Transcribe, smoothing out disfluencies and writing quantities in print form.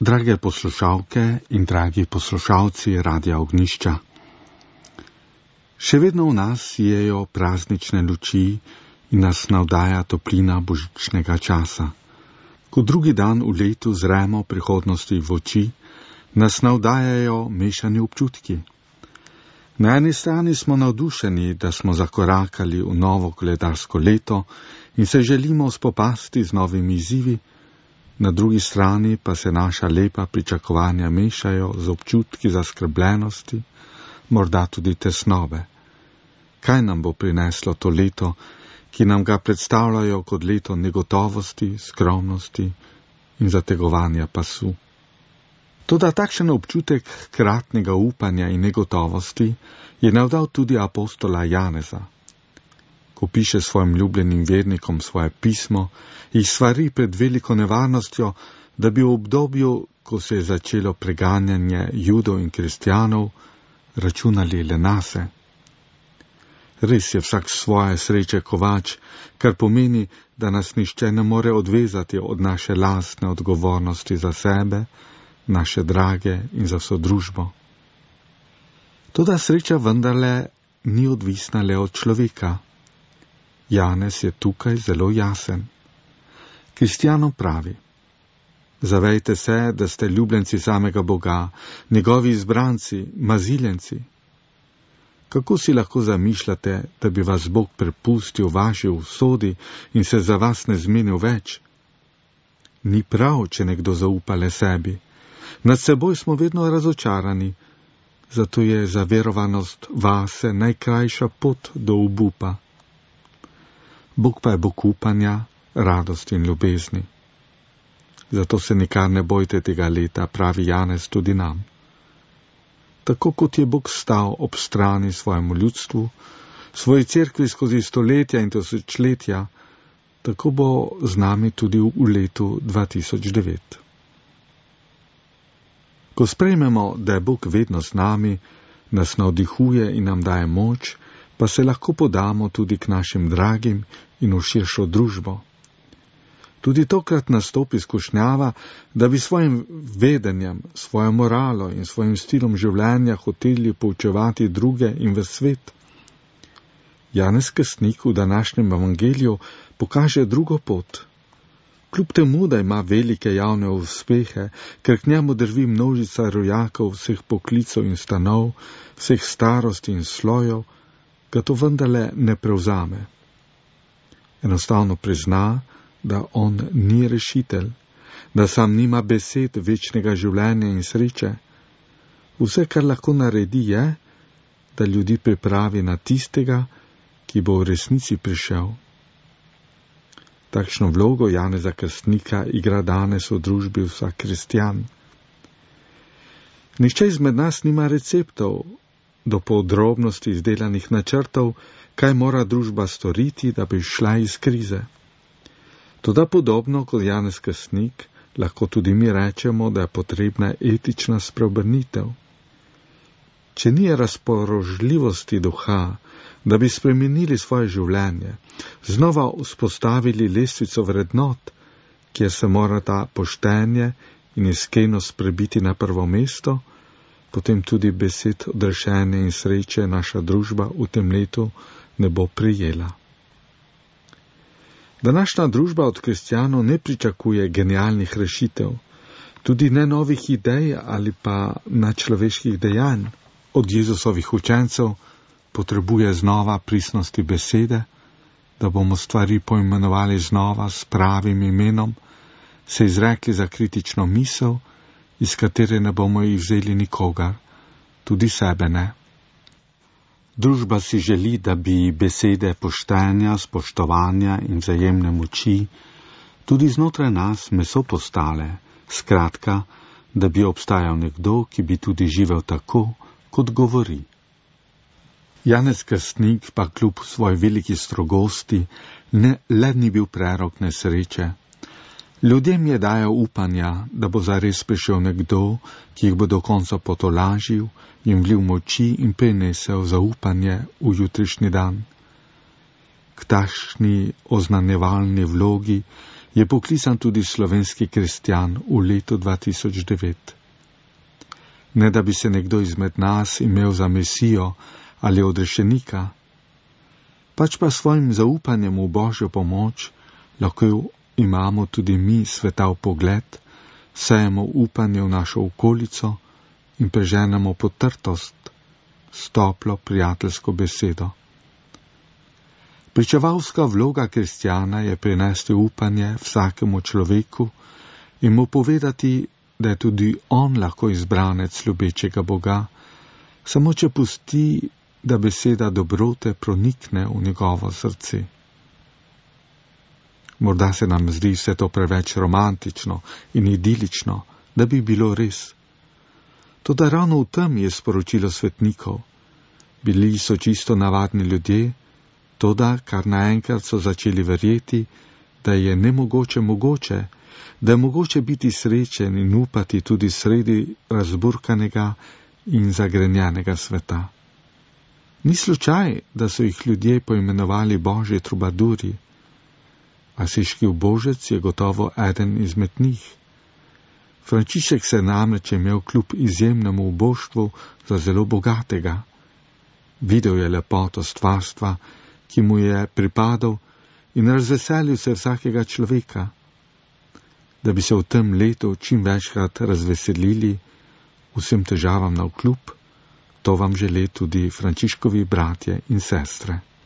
Drage poslušalke in dragi poslušalci Radia Ognjišča. Še vedno v nas sijejo praznične luči in nas navdaja toplina božičnega časa. Ko drugi dan v letu zremo prihodnosti v oči, nas navdajajo mešani občutki. Na eni strani smo navdušeni, da smo zakorakali v novo koledarsko leto in se želimo spopasti z novimi izzivi, na drugi strani pa se naša lepa pričakovanja mešajo z občutki zaskrbljenosti, morda tudi tesnobe. Kaj nam bo prineslo to leto, ki nam ga predstavljajo kot leto negotovosti, skromnosti in zategovanja pasu? Toda takšen občutek kratnega upanja in negotovosti je navdal tudi apostola Janeza. Ko piše svojim ljubljenim vernikom svoje pismo, jih svari pred veliko nevarnostjo, da bi v obdobju, ko se je začelo preganjanje Judov in kristjanov, računali le nase. Res je vsak svoje sreče kovač, kar pomeni, da nas nišče ne more odvezati od naše lastne odgovornosti za sebe, naše drage in za vso družbo. Toda sreča vendarle ni odvisna le od človeka. Janez je tukaj zelo jasen. Kristjanom pravi: zavejte se, da ste ljubljenci samega Boga, njegovi izbranci, maziljenci. Kako si lahko zamišljate, da bi vas Bog prepustil vaši usodi in se za vas ne zmenil več? Ni prav, če nekdo zaupa le sebi. Nad seboj smo vedno razočarani, zato je zaverovanost vase najkrajša pot do obupa. Bog pa je Bog upanja, radosti in ljubezni. Zato se nikar ne bojte tega leta, pravi Janez tudi nam. Tako kot je Bog stal ob strani svojemu ljudstvu, svoji cerkvi skozi stoletja in tisočletja, tako bo z nami tudi v letu 2009. Ko sprejmemo, da je Bog vedno z nami, nas navdihuje in nam daje moč, pa se lahko podamo tudi k našim dragim in v širšo družbo. Tudi tokrat nastopi skušnjava, da bi svojim vedenjem, svojo moralo in svojim stilom življenja hoteli poučevati druge in v svet. Janez Krstnik v današnjem evangeliju pokaže drugo pot. Kljub temu, da ima velike javne uspehe, ker k njemu drvi množica rojakov vseh poklicov in stanov, vseh starosti in slojev, ga to vendarle ne prevzame. Enostavno prizna, da on ni rešitelj, da sam nima besed večnega življenja in sreče. Vse, kar lahko naredi, je, da ljudi pripravi na tistega, ki bo v resnici prišel. Takšno vlogo Janeza Krstnika igra danes v družbi vsak kristjan. Nihče izmed nas nima receptov, do podrobnosti izdelanih načrtov, kaj mora družba storiti, da bi šla iz krize. Toda podobno kot Janez Krstnik, lahko tudi mi rečemo, da je potrebna etična spreobrnitev. Če ni razpoložljivosti duha, da bi spremenili svoje življenje, znova vzpostavili lestvico vrednot, kjer se morata poštenje in iskrenost prebiti na prvo mesto, potem tudi besed odrešenja in sreče naša družba v tem letu ne bo prijela. Današnja družba od kristjanov ne pričakuje genialnih rešitev, tudi ne novih idej ali pa nadčloveških dejanj. Od Jezusovih učencev potrebuje znova pristnosti besede, da bomo stvari poimenovali znova s pravim imenom, se izrekli za kritično misel, iz katere ne bomo jih vzeli nikogar, tudi sebe ne. Družba si želi, da bi besede poštenja, spoštovanja in vzajemne moči tudi znotraj nas meso postale, skratka, da bi obstajal nekdo, ki bi tudi živel tako, kot govori. Janez Krstnik pa kljub svoji veliki strogosti le ni bil prerok nesreče. Ljudem je dajal upanja, da bo zares prišel nekdo, ki jih bo do konca potolažil, jim vlil moči in prinesel zaupanje v jutrišnji dan. K takšni oznanjevalni vlogi je poklican tudi slovenski kristjan v letu 2009. Ne da bi se nekdo izmed nas imel za mesijo ali odrešenika, pač pa svojim zaupanjem v Božjo pomoč lahko imamo tudi mi svetav pogled, sejemo upanje v našo okolico in preženemo potrtost s toplo prijateljsko besedo. Pričevalska vloga kristjana je prinesti upanje vsakemu človeku in mu povedati, da je tudi on lahko izbranec ljubečega Boga, samo če pusti, da beseda dobrote pronikne v njegovo srce. Morda se nam zdi vse to preveč romantično in idilično, da bi bilo res. Toda ravno v tem je sporočilo svetnikov. Bili so čisto navadni ljudje, toda kar naenkrat so začeli verjeti, da je nemogoče mogoče, da je mogoče biti srečen in upati tudi sredi razburkanega in zagrenjenega sveta. Ni slučaj, da so jih ljudje poimenovali Božji trubaduri. Asiški ubožec je gotovo eden izmed njih. Frančišek se namreč imel kljub izjemnemu uboštvu za zelo bogatega. Videl je lepoto stvarstva, ki mu je pripadal, in razveselil se vsakega človeka. Da bi se v tem letu čim večkrat razveselili vsem težavam navkljub, to vam želi tudi Frančiškovi bratje in sestre.